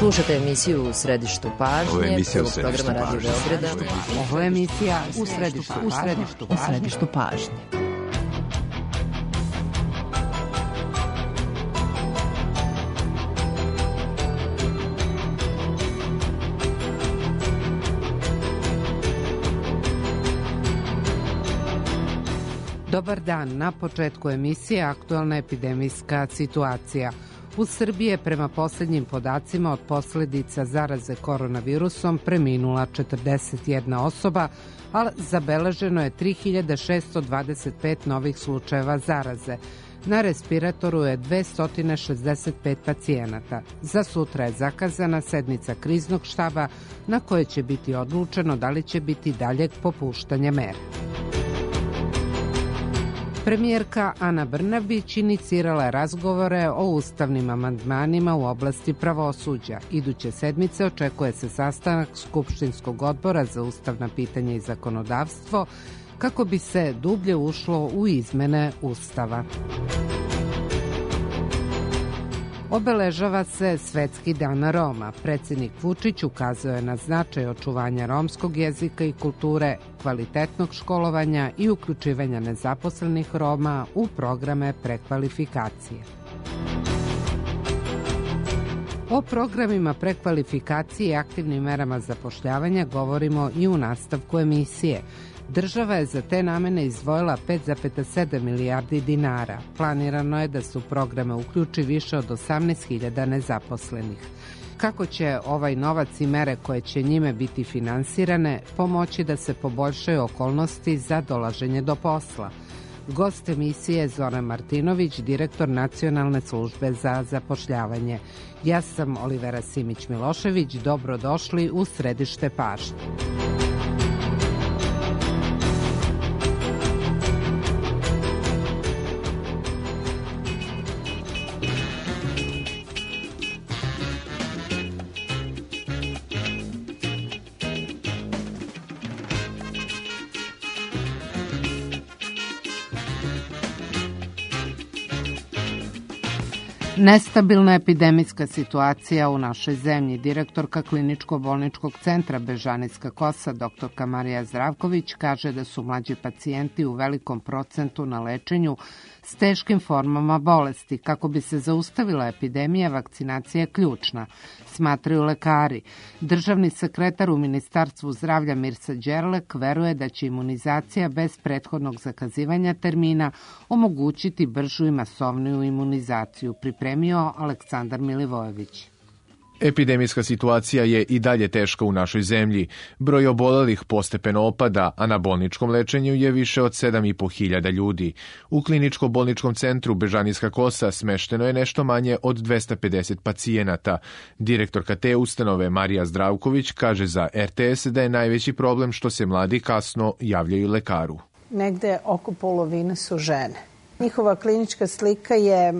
Slušate emisiju U središtu pažnje, prvog programa Radio Beograda. Ovo je emisija U središtu pažnje. Dobar dan, na početku emisije aktualna epidemijska situacija. U Srbiji je prema posljednjim podacima od posljedica zaraze koronavirusom preminula 41 osoba, ali zabeleženo je 3625 novih slučajeva zaraze. Na respiratoru je 265 pacijenata. Za sutra je zakazana sednica kriznog štaba na kojoj će biti odlučeno da li će biti daljeg popuštanja mera. Premijerka Ana Brnabić inicirala je razgovore o ustavnim amandmanima u oblasti pravosuđa. Iduće sedmice očekuje se sastanak Skupštinskog odbora za ustavna pitanja i zakonodavstvo kako bi se dublje ušlo u izmene Ustava. Obeležava se Svetski dan Roma. Predsjednik Vučić ukazao je na značaj očuvanja romskog jezika i kulture, kvalitetnog školovanja i uključivanja nezaposlenih Roma u programe prekvalifikacije. O programima prekvalifikacije i aktivnim merama zapošljavanja govorimo i u nastavku emisije. Država je za te namene izdvojila 5,7 milijardi dinara. Planirano je da se u programe uključi više od 18.000 nezaposlenih. Kako će ovaj novac i mere koje će njime biti finansirane pomoći da se poboljšaju okolnosti za dolaženje do posla? Gost emisije je Zoran Martinović, direktor Nacionalne službe za zapošljavanje. Ja sam Olivera Simić-Milošević, dobrodošli u središte pažnje. Nestabilna epidemijska situacija u našoj zemlji. Direktorka Kliničko-bolničkog centra Bežanijska Kosa, dr. Marija Zdravković, kaže da su mlađi pacijenti u velikom procentu na lečenju s teškim formama bolesti. Kako bi se zaustavila epidemija, vakcinacija je ključna, smatraju lekari. Državni sekretar u Ministarstvu zdravlja Mirsa Đerlek veruje da će imunizacija bez prethodnog zakazivanja termina omogućiti bržu i masovniju imunizaciju, pripremio Aleksandar Milivojević. Epidemijska situacija je i dalje teška u našoj zemlji. Broj obolelih postepeno opada, a na bolničkom lečenju je više od 7.500 ljudi. U Kliničko-bolničkom centru Bežanijska Kosa smešteno je nešto manje od 250 pacijenata. Direktorka te ustanove Marija Zdravković kaže za RTS da je najveći problem što se mladi kasno javljaju lekaru. Negde oko polovine su žene. Njihova klinička slika je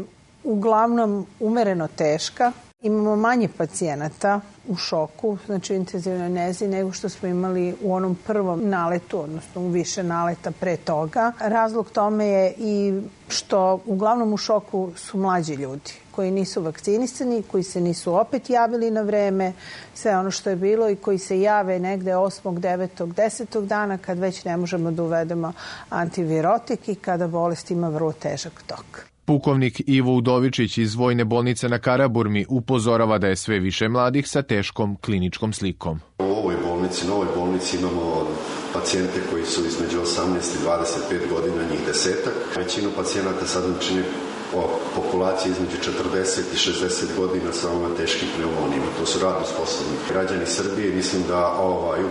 uglavnom umereno teška. Imamo manje pacijenata u šoku, znači u intenzivnoj nezi, nego što smo imali u onom prvom naletu, odnosno u više naleta pre toga. Razlog tome je i što uglavnom u šoku su mlađi ljudi koji nisu vakcinisani, koji se nisu opet javili na vreme, sve ono što je bilo i koji se jave negde 8., 9., 10. dana kad već ne možemo da uvedemo antivirotik i kada bolest ima vrlo težak tok. Pukovnik Ivo Udovičić iz Vojne bolnice na Karaburmi upozorava da je sve više mladih sa teškom kliničkom slikom. U ovoj bolnici imamo pacijente koji su između 18 i 25 godina, njih 10-ak. Većinu pacijenata sad čini populacije između 40 i 60 godina sa ovima teškim pneumonijima. To su radno sposobni građani Srbije. Mislim da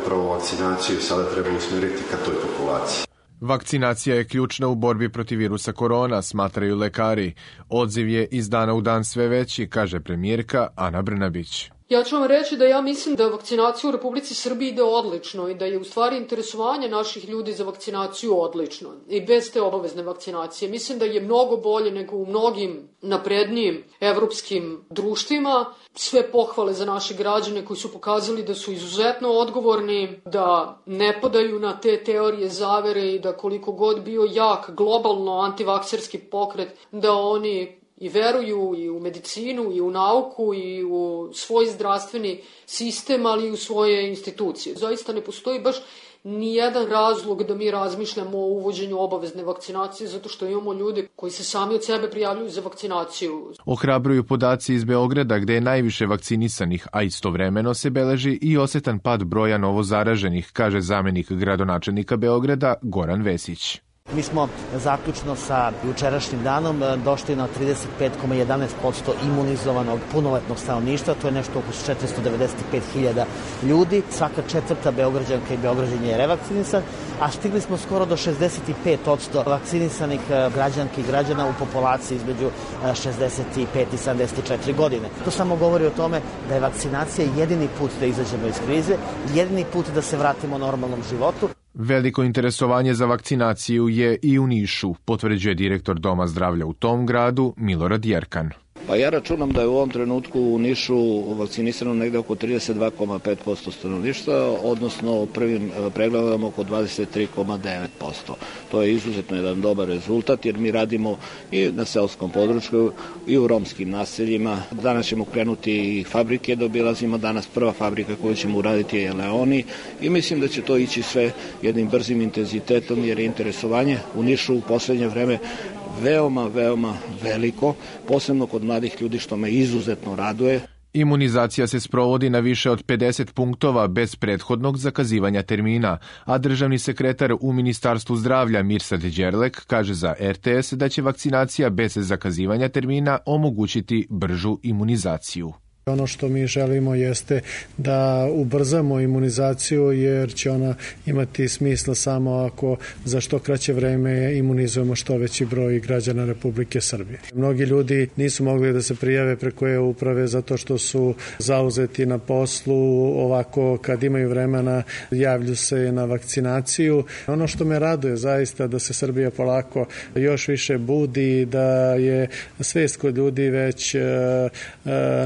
upravo vakcinaciju sada treba usmjeriti ka toj populaciji. Vakcinacija je ključna u borbi protiv virusa korona, smatraju lekari. Odziv je iz dana u dan sve veći, kaže premijerka Ana Brnabić. Ja ću vam reći da ja mislim da vakcinacija u Republici Srbiji ide odlično i da je u stvari interesovanje naših ljudi za vakcinaciju odlično i bez te obavezne vakcinacije. Mislim da je mnogo bolje nego u mnogim naprednijim evropskim društvima. Sve pohvale za naše građane koji su pokazali da su izuzetno odgovorni, da ne padaju na te teorije zavere i da koliko god bio jak globalno antivakserski pokret, da oni i veruju i u medicinu i u nauku i u svoj zdravstveni sistem, ali i u svoje institucije. Zaista ne postoji baš nijedan razlog da mi razmišljamo o uvođenju obavezne vakcinacije, zato što imamo ljude koji se sami od sebe prijavljuju za vakcinaciju. Ohrabruju podaci iz Beograda, gde je najviše vakcinisanih, a istovremeno se beleži i osetan pad broja novozaraženih, kaže zamenik gradonačelnika Beograda Goran Vesić. Mi smo zaključno sa jučerašnjim danom došli na 35,11% imunizovanog punoletnog stanovništva, to je nešto oko 495.000 ljudi. Svaka četvrta Beograđanka i Beograđan je revakcinisan, a stigli smo skoro do 65% vakcinisanih građanki i građana u populaciji između 65 i 74 godine. To samo govori o tome da je vakcinacija jedini put da izađemo iz krize, jedini put da se vratimo normalnom životu. Veliko interesovanje za vakcinaciju je i u Nišu, potvrđuje direktor Doma zdravlja u tom gradu Milorad Jerkan. Pa ja računam da je u ovom trenutku u Nišu vakcinisano negde oko 32,5% stanovništva, odnosno prvim pregledom oko 23,9%. To je izuzetno jedan dobar rezultat jer mi radimo i na seoskom području i u romskim naseljima. Danas ćemo krenuti i fabrike da obilazimo. Danas prva fabrika koju ćemo uraditi je Leoni i mislim da će to ići sve jednim brzim intenzitetom jer je interesovanje u Nišu u poslednje vreme veoma veliko, posebno kod mladih ljudi, što me izuzetno raduje. Imunizacija se sprovodi na više od 50 punktova bez prethodnog zakazivanja termina, a državni sekretar u Ministarstvu zdravlja Mirsad Đerlek kaže za RTS da će vakcinacija bez zakazivanja termina omogućiti bržu imunizaciju. Ono što mi želimo jeste da ubrzamo imunizaciju jer će ona imati smisla samo ako za što kraće vreme imunizujemo što veći broj građana Republike Srbije. Mnogi ljudi nisu mogli da se prijave preko e-uprave zato što su zauzeti na poslu, ovako kad imaju vremena javlju se na vakcinaciju. Ono što me raduje zaista da se Srbija polako još više budi, da je svest kod ljudi već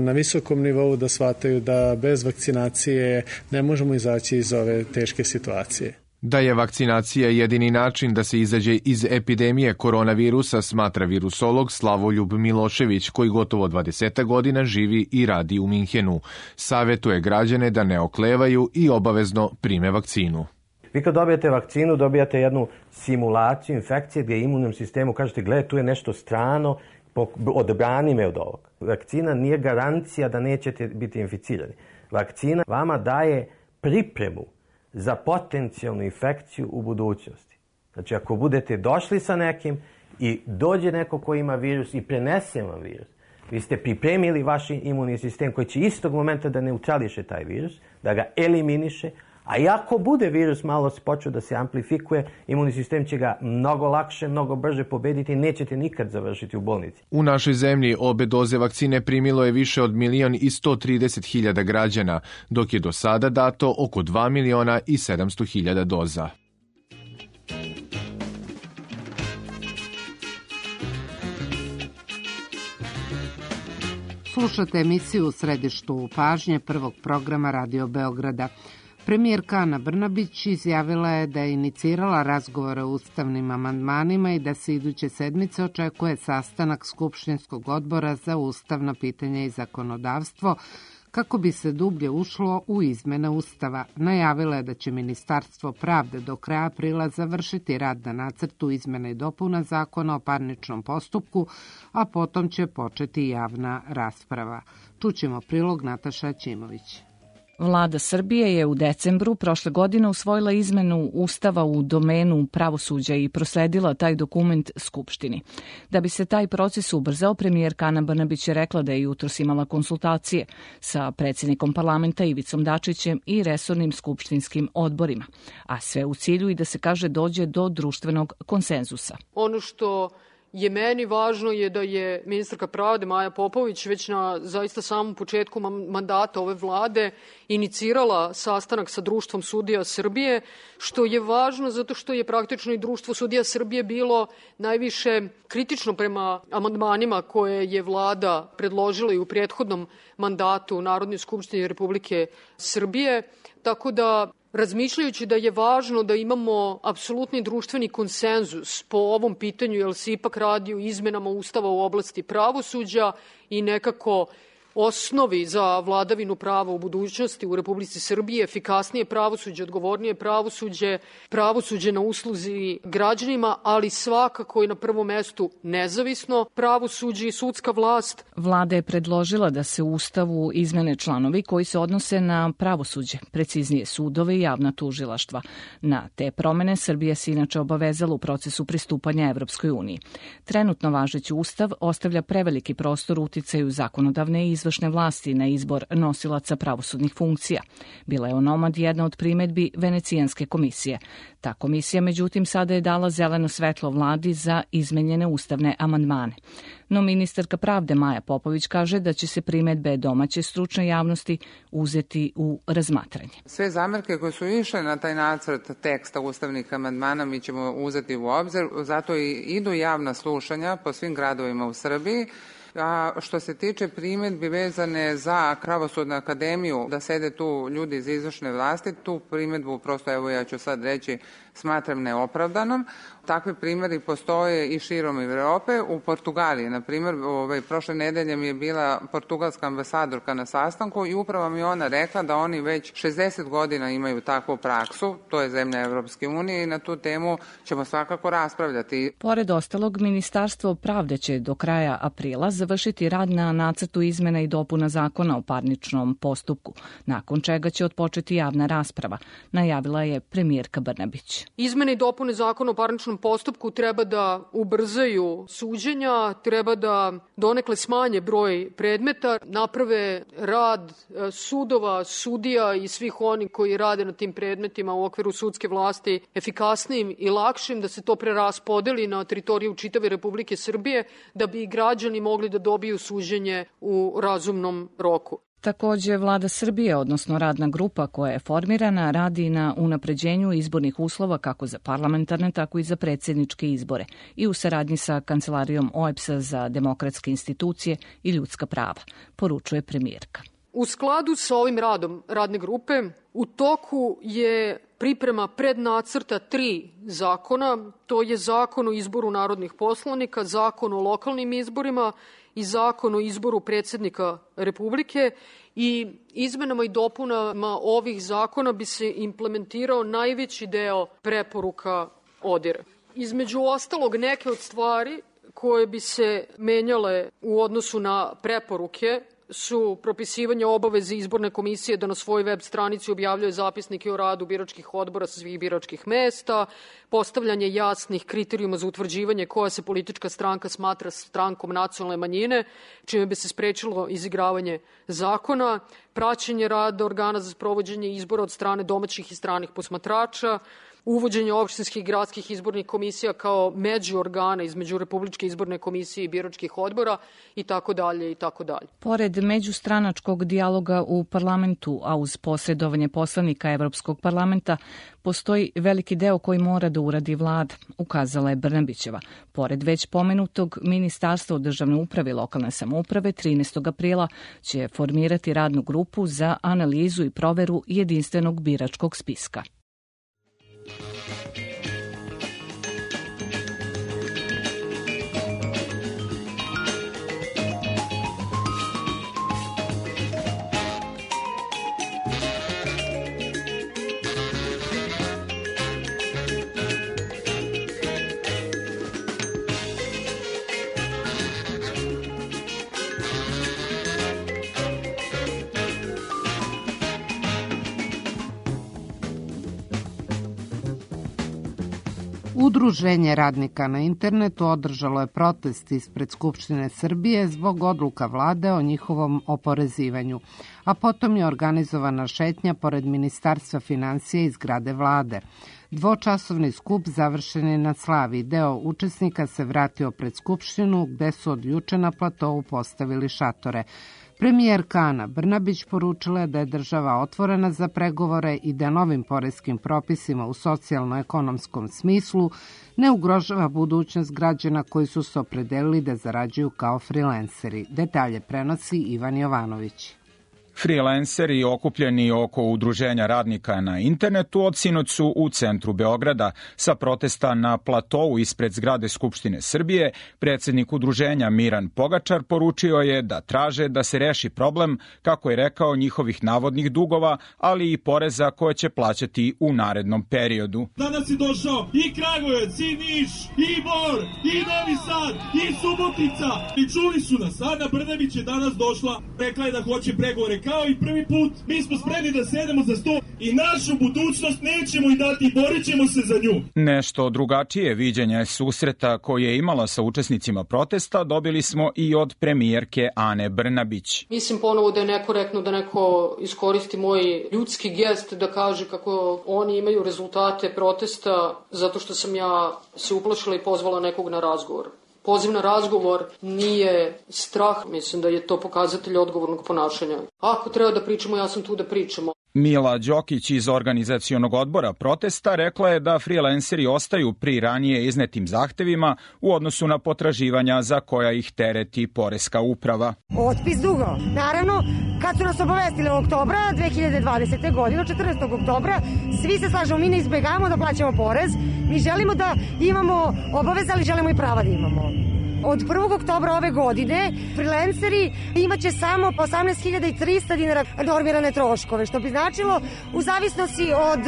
na visokom nivou da shvataju da bez vakcinacije ne možemo izaći iz ove teške situacije. Da je vakcinacija jedini način da se izađe iz epidemije koronavirusa, smatra virusolog Slavoljub Milošević, koji gotovo 20 godina živi i radi u Minhenu. Savetuje građane da ne oklevaju i obavezno prime vakcinu. Vi kad dobijete vakcinu, dobijate jednu simulaciju infekcije gdje imunnom sistemu kažete, gledaj, tu je nešto strano, odbrani me od ovog. Vakcina nije garancija da nećete biti inficirani. Vakcina vama daje pripremu za potencijalnu infekciju u budućnosti. Znači, ako budete došli sa nekim i dođe neko ko ima virus i prenese vam virus, vi ste pripremili vaš imunni sistem koji će istog momenta da neutrališe taj virus, da ga eliminiše, a i ako bude virus malo počeo da se amplifikuje, imunni sistem će ga mnogo lakše, mnogo brže pobediti i nećete nikad završiti u bolnici. U našoj zemlji obe doze vakcine primilo je više od 1.130.000 građana, dok je do sada dato oko 2.700.000 doza. Slušate emisiju u središtu pažnje prvog programa Radio Beograda. Premijerka Ana Brnabić izjavila je da je inicirala razgovore o ustavnim amandmanima i da se iduće sedmice očekuje sastanak Skupštinskog odbora za ustavna pitanja i zakonodavstvo kako bi se dublje ušlo u izmene Ustava. Najavila je da će Ministarstvo pravde do kraja aprila završiti rad na nacrtu izmene i dopuna Zakona o parničnom postupku, a potom će početi javna rasprava. Čućemo prilog Nataša Ćimović. Vlada Srbije je u decembru prošle godine usvojila izmenu Ustava u domenu pravosuđa i prosledila taj dokument Skupštini. Da bi se taj proces ubrzao, premijerka Ana Brnabić je rekla da je jutros imala konsultacije sa predsjednikom parlamenta Ivicom Dačićem i resornim skupštinskim odborima, a sve u cilju i da se kaže dođe do društvenog konsenzusa. Ono što je meni važno je da je ministarka pravde Maja Popović već na zaista samom početku mandata ove vlade inicirala sastanak sa Društvom sudija Srbije, što je važno zato što je praktično i Društvo sudija Srbije bilo najviše kritično prema amandmanima koje je vlada predložila i u prethodnom mandatu Narodne skupštine Republike Srbije, tako da razmišljajući da je važno da imamo apsolutni društveni konsenzus po ovom pitanju, jer se ipak radi o izmenama Ustava u oblasti pravosuđa i nekako osnovi za vladavinu prava u budućnosti u Republici Srbiji, efikasnije pravosuđe, odgovornije pravosuđe, pravosuđe na usluzi građanima, ali svakako i na prvom mestu nezavisno pravosuđe i sudska vlast. Vlada je predložila da se u Ustavu izmene članovi koji se odnose na pravosuđe, preciznije sudove i javna tužilaštva. Na te promene Srbija se inače obavezala u procesu pristupanja Evropskoj uniji. Trenutno važeći Ustav ostavlja preveliki prostor uticaju zakonodavne i izvršne vlasti na izbor nosilaca pravosudnih funkcija. Bila je onomad jedna od primedbi Venecijanske komisije. Ta komisija, međutim, sada je dala zeleno svetlo vladi za izmenjene ustavne amandmane. No ministarka pravde Maja Popović kaže da će se primedbe domaće stručne javnosti uzeti u razmatranje. Sve zamerke koje su išle na taj nacrt teksta ustavnih amandmana mi ćemo uzeti u obzir, zato i idu javna slušanja po svim gradovima u Srbiji. A što se tiče primedbi vezane za Pravosudnu akademiju, da sede tu ljudi iz izvršne vlasti, tu primedbu prosto, evo ja ću sad reći, smatram neopravdanom. Takvi primjeri postoje i širom Evrope. U Portugaliji, na primjer, prošle nedelje mi je bila portugalska ambasadorka na sastanku i upravo mi ona rekla da oni već 60 godina imaju takvu praksu, to je zemlja Evropske unije i na tu temu ćemo svakako raspravljati. Pored ostalog, Ministarstvo pravde će do kraja aprila završiti rad na nacrtu izmena i dopuna zakona o parničnom postupku, nakon čega će otpočeti javna rasprava, najavila je premijerka Brnabić. Izmene i dopune zakona o parničnom postupku treba da ubrzaju suđenja, treba da donekle smanje broj predmeta, naprave rad sudova, sudija i svih oni koji rade na tim predmetima u okviru sudske vlasti efikasnijim i lakšim, da se to preraspodeli na teritoriju čitave Republike Srbije, da bi građani mogli da dobiju suđenje u razumnom roku. Takođe, Vlada Srbije, odnosno radna grupa koja je formirana, radi na unapređenju izbornih uslova kako za parlamentarne, tako i za predsjedničke izbore i u saradnji sa Kancelarijom OEBS-a za demokratske institucije i ljudska prava, poručuje premijerka. U skladu sa ovim radom radne grupe, u toku je priprema prednacrta 3 zakona, to je Zakon o izboru narodnih poslanika, Zakon o lokalnim izborima i Zakon o izboru predsjednika Republike, i izmenama i dopunama ovih zakona bi se implementirao najveći deo preporuka ODIHR-a. Između ostalog, neke od stvari koje bi se menjale u odnosu na preporuke su propisivanje obaveze izborne komisije da na svojoj web stranici objavljuje zapisnike o radu biračkih odbora sa svih biračkih mesta, postavljanje jasnih kriterijuma za utvrđivanje koja se politička stranka smatra strankom nacionalne manjine, čime bi se sprečilo izigravanje zakona, praćenje rada organa za sprovođenje izbora od strane domaćih i stranih posmatrača, uvođenje opštinskih i gradskih izbornih komisija kao međuorgana između Republičke izborne komisije i biračkih odbora i tako dalje i tako dalje. Pored međustranačkog dijaloga u parlamentu, a uz posredovanje poslanika Evropskog parlamenta, postoji veliki deo koji mora da uradi vlada, ukazala je Brnabićeva. Pored već pomenutog, Ministarstvo državne uprave i lokalne samouprave 13. aprila će formirati radnu grupu za analizu i proveru jedinstvenog biračkog spiska. Udruženje radnika na internetu održalo je protest ispred Skupštine Srbije zbog odluka vlade o njihovom oporezivanju, a potom je organizovana šetnja pored Ministarstva finansija iz zgrade vlade. Dvočasovni skup završen je na Slavi. Deo učesnika se vratio pred Skupštinu gde su od juče na platovu postavili šatore. Premijerka Ana Brnabić poručila je da je država otvorena za pregovore i da novim poreskim propisima u socijalno-ekonomskom smislu ne ugrožava budućnost građana koji su se opredelili da zarađuju kao frilenseri. Detalje prenosi Ivan Jovanović. Freelanceri okupljeni oko udruženja radnika na internetu od sinoć su u centru Beograda. Sa protesta na platovu ispred zgrade Skupštine Srbije, predsjednik udruženja Miran Pogačar poručio je da traže da se reši problem, kako je rekao, njihovih navodnih dugova, ali i poreza koje će plaćati u narednom periodu. Danas je došao i Kragujevac, i Niš, i Bor, i Novi Sad, i Subotica. I čuli su nas. Ana Brnabić je danas došla, rekla je da hoće pregovore. Kao i prvi put, mi smo spremni da sedemo za sto i našu budućnost nećemo i dati, borit ćemo se za nju. Nešto drugačije viđenje susreta koje je imala sa učesnicima protesta dobili smo i od premijerke Ane Brnabić. Mislim ponovo da je nekorektno da neko iskoristi moj ljudski gest da kaže kako oni imaju rezultate protesta zato što sam ja se uplašila i pozvala nekog na razgovor. Poziv na razgovor nije strah, mislim da je to pokazatelj odgovornog ponašanja. Ako treba da pričamo, ja sam tu da pričamo. Mila Đokić iz organizacionog odbora protesta rekla je da freelanceri ostaju pri ranije iznetim zahtevima u odnosu na potraživanja za koja ih tereti poreska uprava. Otpis dugo. Naravno, kad su nas obavestili oktobra 2020. godine, 14. oktobra, svi se slažemo, mi ne izbjegavamo da plaćamo porez, mi želimo da imamo obaveze, ali želimo i prava da imamo. Od 1. oktobra ove godine freelanceri imaće samo 18.300 dinara normirane troškove, što bi značilo u zavisnosti od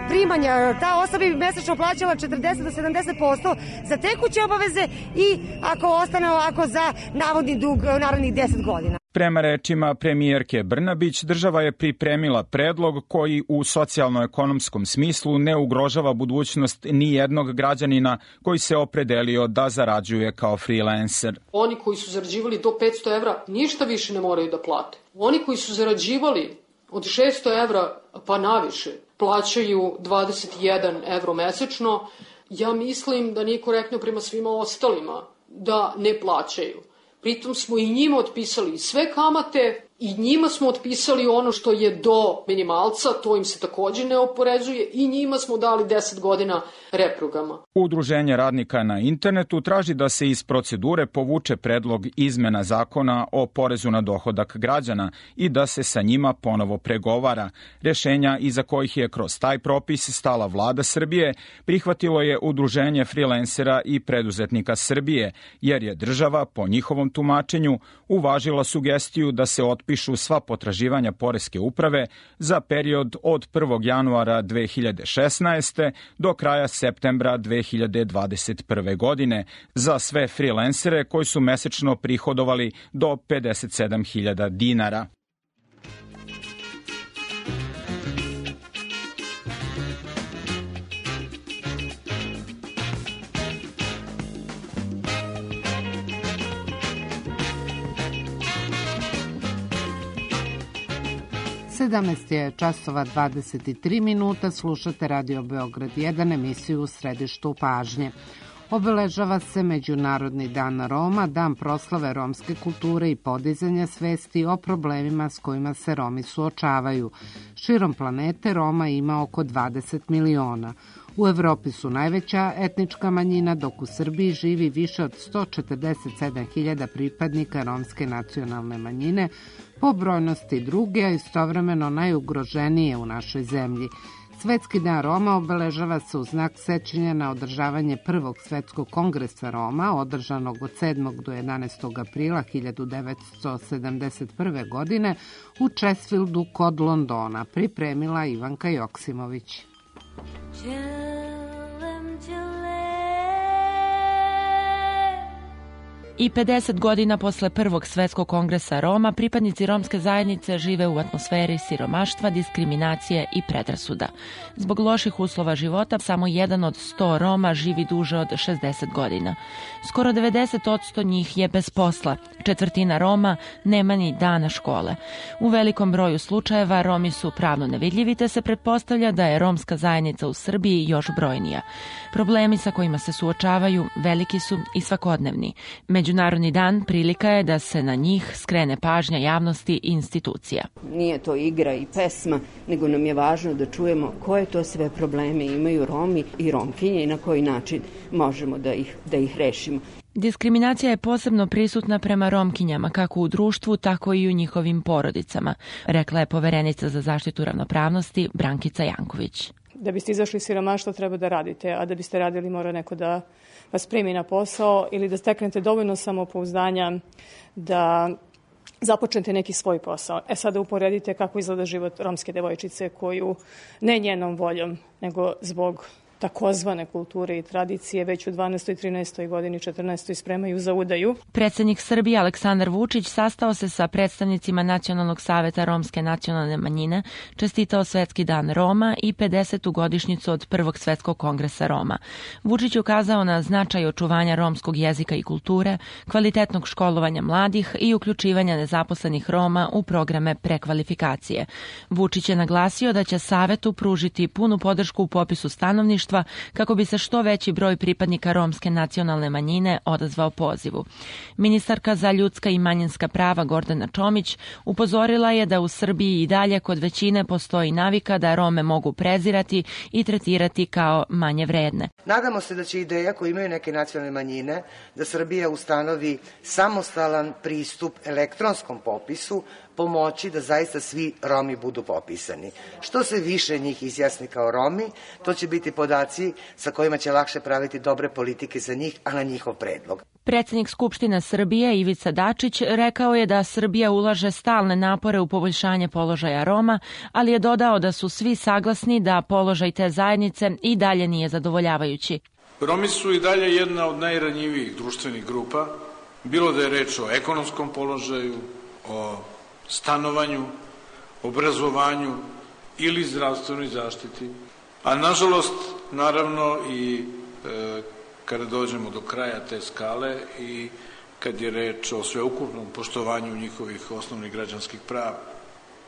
primanja. Ta osoba bi mesečno plaćala 40 do 70% za tekuće obaveze i ako ostane ovako za navodni dug narednih 10 godina. Prema rečima premijerke Brnabić, država je pripremila predlog koji u socijalno-ekonomskom smislu ne ugrožava budućnost ni jednog građanina koji se opredelio da zarađuje kao freelancer. Oni koji su zarađivali do 500 evra ništa više ne moraju da plate. Oni koji su zarađivali od 600 evra pa naviše plaćaju 21 evro mesečno. Ja mislim da nije korektno prema svima ostalima da ne plaćaju. Pritom smo i njima otpisali sve kamate i njima smo otpisali ono što je do minimalca, to im se također ne oporezuje i njima smo dali 10 godina reprograma. Udruženje radnika na internetu traži da se iz procedure povuče predlog izmena zakona o porezu na dohodak građana i da se sa njima ponovo pregovara. Rješenja iza kojih je kroz taj propis stala vlada Srbije prihvatilo je Udruženje freelancera i preduzetnika Srbije, jer je država, po njihovom tumačenju, uvažila sugestiju da se otpišu sva potraživanja poreske uprave za period od 1. januara 2016. do kraja septembra 2021. godine za sve freelancere koji su mesečno prihodovali do 57.000 dinara. Je časova 23 minuta, slušate Radio Beograd 1, emisiju u središtu pažnje. Obeležava se Međunarodni dan Roma, dan proslave romske kulture i podizanja svesti o problemima s kojima se Romi suočavaju. Širom planete Roma ima oko 20 miliona. U Evropi su najveća etnička manjina, dok u Srbiji živi više od 147.000 pripadnika romske nacionalne manjine, po brojnosti druge, a istovremeno najugroženije u našoj zemlji. Svetski dan Roma obeležava se u znak sećanja na održavanje Prvog svetskog kongresa Roma, održanog od 7. do 11. aprila 1971. godine u Česfieldu kod Londona, pripremila Ivanka Joksimović. I 50 godina posle Prvog svetskog kongresa Roma, pripadnici romske zajednice žive u atmosferi siromaštva, diskriminacije i predrasuda. Zbog loših uslova života, samo 1 od 100 Roma živi duže od 60 godina. Skoro 90% njih je bez posla. 1/4 Roma nema ni dana škole. U velikom broju slučajeva Romi su pravno nevidljivi, te se pretpostavlja da je romska zajednica u Srbiji još brojnija. Problemi sa kojima se suočavaju veliki su i svakodnevni. Međunarodni dan prilika je da se na njih skrene pažnja javnosti i institucija. Nije to igra i pesma, nego nam je važno da čujemo koje to sve probleme imaju Romi i Romkinje i na koji način možemo da ih rešimo. Diskriminacija je posebno prisutna prema Romkinjama, kako u društvu, tako i u njihovim porodicama, rekla je poverenica za zaštitu ravnopravnosti Brankica Janković. Da biste izašli iz siromaštva treba da radite, a da biste radili mora neko da vas primi na posao ili da steknete dovoljno samopouzdanja da započnete neki svoj posao. Sada uporedite kako izgleda život romske devojčice koju ne njenom voljom, nego zbog takozvane kulture i tradicije već u 12. 13. godini 14. spremaju za udaju. Predsednik Srbije Aleksandar Vučić sastao se sa predstavnicima Nacionalnog saveta romske nacionalne manjine, čestitao Svetski dan Roma i 50. godišnjicu od Prvog svetskog kongresa Roma. Vučić ukazao na značaj očuvanja romskog jezika i kulture, kvalitetnog školovanja mladih i uključivanja nezaposlenih Roma u programe prekvalifikacije. Vučić je naglasio da će Savetu pružiti punu podršku u popisu stanovništva kako bi se što veći broj pripadnika romske nacionalne manjine odazvao pozivu. Ministarka za ljudska i manjinska prava Gordana Čomić upozorila je da u Srbiji i dalje kod većine postoji navika da Rome mogu prezirati i tretirati kao manje vredne. Nadamo se da će ideja koju imaju neke nacionalne manjine da Srbija ustanovi samostalan pristup elektronskom popisu pomoći da zaista svi Romi budu popisani. Što se više njih izjasni kao Romi, to će biti podaci sa kojima će lakše praviti dobre politike za njih, a na njihov predlog. Predsednik Skupštine Srbije Ivica Dačić rekao je da Srbija ulaže stalne napore u poboljšanje položaja Roma, ali je dodao da su svi saglasni da položaj te zajednice i dalje nije zadovoljavajući. Romi su i dalje jedna od najranjivijih društvenih grupa, bilo da je reč o ekonomskom položaju, o stanovanju, obrazovanju ili zdravstvenoj zaštiti. A nažalost, naravno i kada dođemo do kraja te skale i kad je reč o sveukupnom poštovanju njihovih osnovnih građanskih prava.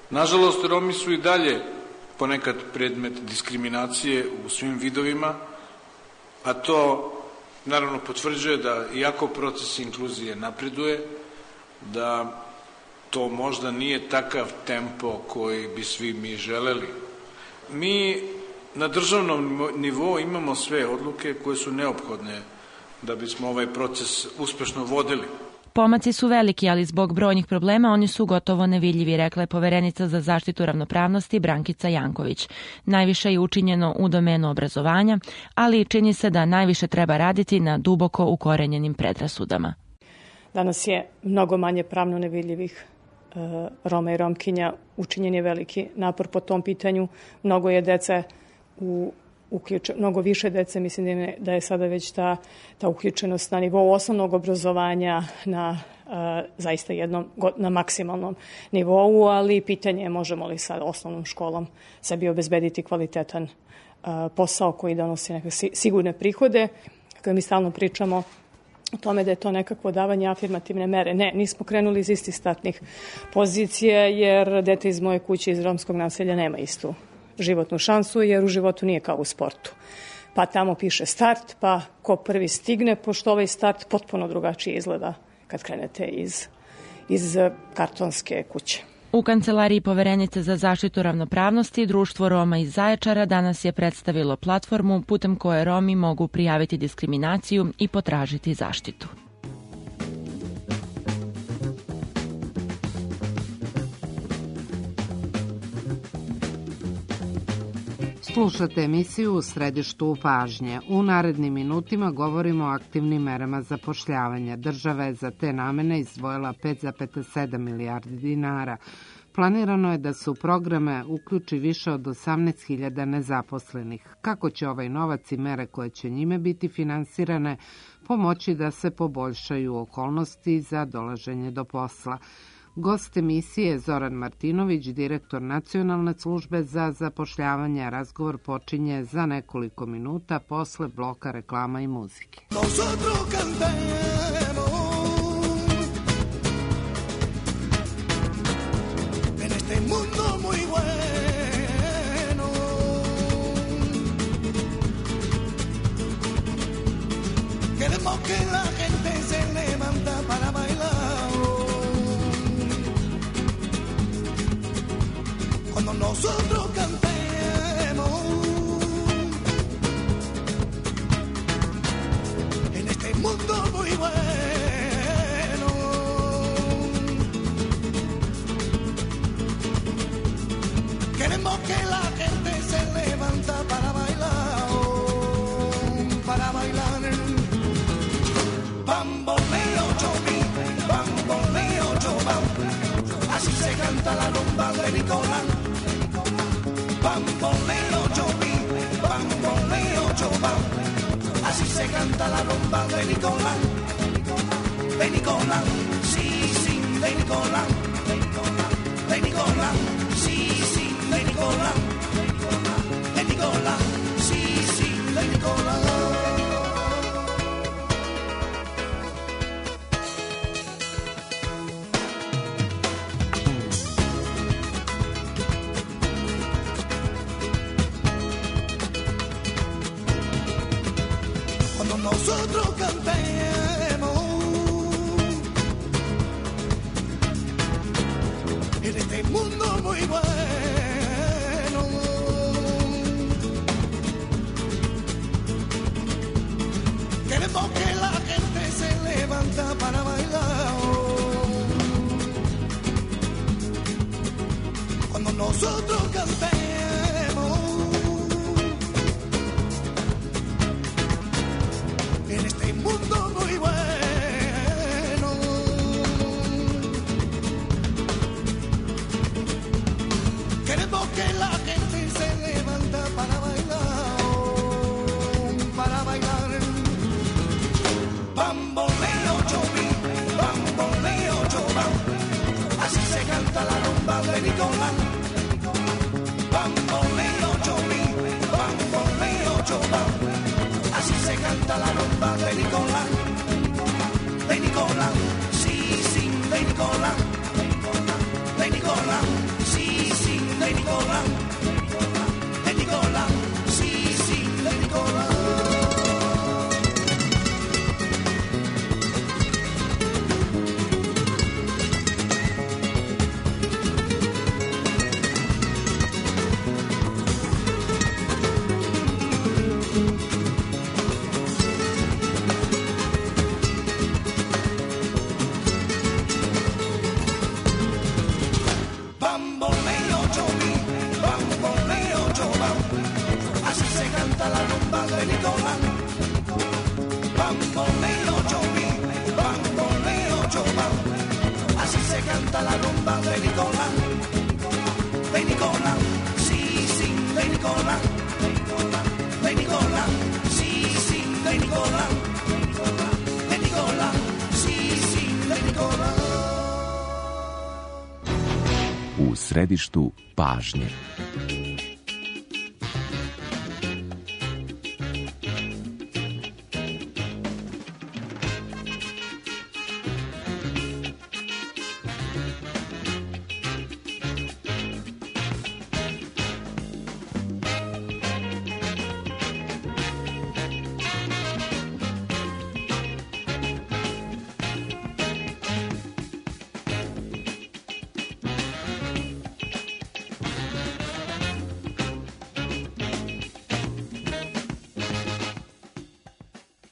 Nažalost, Romi su i dalje ponekad predmet diskriminacije u svim vidovima, a to naravno potvrđuje da iako proces inkluzije napreduje, da to možda nije takav tempo koji bi svi mi želeli. Mi na državnom nivou imamo sve odluke koje su neophodne da bismo ovaj proces uspešno vodili. Pomaci su veliki, ali zbog brojnih problema oni su gotovo nevidljivi, rekla je poverenica za zaštitu ravnopravnosti Brankica Janković. Najviše je učinjeno u domenu obrazovanja, ali čini se da najviše treba raditi na duboko ukorenjenim predrasudama. Danas je mnogo manje pravno nevidljivih Roma i Romkinja, učinjen je veliki napor po tom pitanju. Mnogo je dece mnogo više dece, mislim da je sada već ta uključenost na nivou osnovnog obrazovanja na zaista na maksimalnom nivou, ali pitanje je možemo li sa osnovnom školom sebi obezbediti kvalitetan posao koji donosi neke sigurne prihode, koje mi stalno pričamo o tome da je to nekakvo davanje afirmativne mere. Ne, nismo krenuli iz istih startnih pozicija, jer dete iz moje kuće iz romskog naselja nema istu životnu šansu, jer u životu nije kao u sportu. Pa tamo piše start, pa ko prvi stigne, pošto ovaj start potpuno drugačije izgleda kad krenete iz kartonske kuće. U Kancelariji poverenice za zaštitu ravnopravnosti Društvo Roma iz Zaječara danas je predstavilo platformu putem koje Romi mogu prijaviti diskriminaciju i potražiti zaštitu. Slušate emisiju U središtu pažnje. U narednim minutima govorimo o aktivnim merama zapošljavanja. Država je za te namene izdvojila 5,7 milijardi dinara. Planirano je da se u programe uključi više od 18.000 nezaposlenih. Kako će ovaj novac i mere koje će njime biti finansirane pomoći da se poboljšaju okolnosti za dolaženje do posla? Gost emisije je Zoran Martinović, direktor Nacionalne službe za zapošljavanje. Razgovor počinje za nekoliko minuta posle bloka reklama i muzike. Queremos que la gente se levanta para bailar. Cuando nosotros cantemos en este mundo muy bueno. Nicolás. Bamboleo yo vi, bamboleo yo va. Así se canta la rumba de Nicolás. De Nicolás, sí, sí, de Nicolás. De Nicolás, sí, sí, de Nicolás. De Nicolás, sí, sí, de Nicolás. Cuando nosotros cantemos en este mundo muy bueno, queremos que la gente se levanta para bailar. Cuando nosotros cantemos en este mundo muy bueno, queremos que la gente se levanta para bailar, para bailar. Bamboleo yo vi, bamboleo yo va, así se canta la rumba de Nicolás. Bamboleo yo vi, bamboleo yo va, así se canta la rumba de Nicolás. De Nicolás, sí, sí, de Nicolás. De Nicolás, sí, sí, de Nicolás. De Nicolás, sí, sí, de Nicolás. Bamboleo yo vi, bamboleo yo va, así se canta la rumba de Nicolás. Bamboleo yo vi, bamboleo yo va, así se canta la rumba de Nicolás. De Nicolás, sí, sí, de Nicolás. De Nicolás, sí, sí, de Nicolás. De Nicolás, sí, sí, de Nicolás. U središtu pažnje.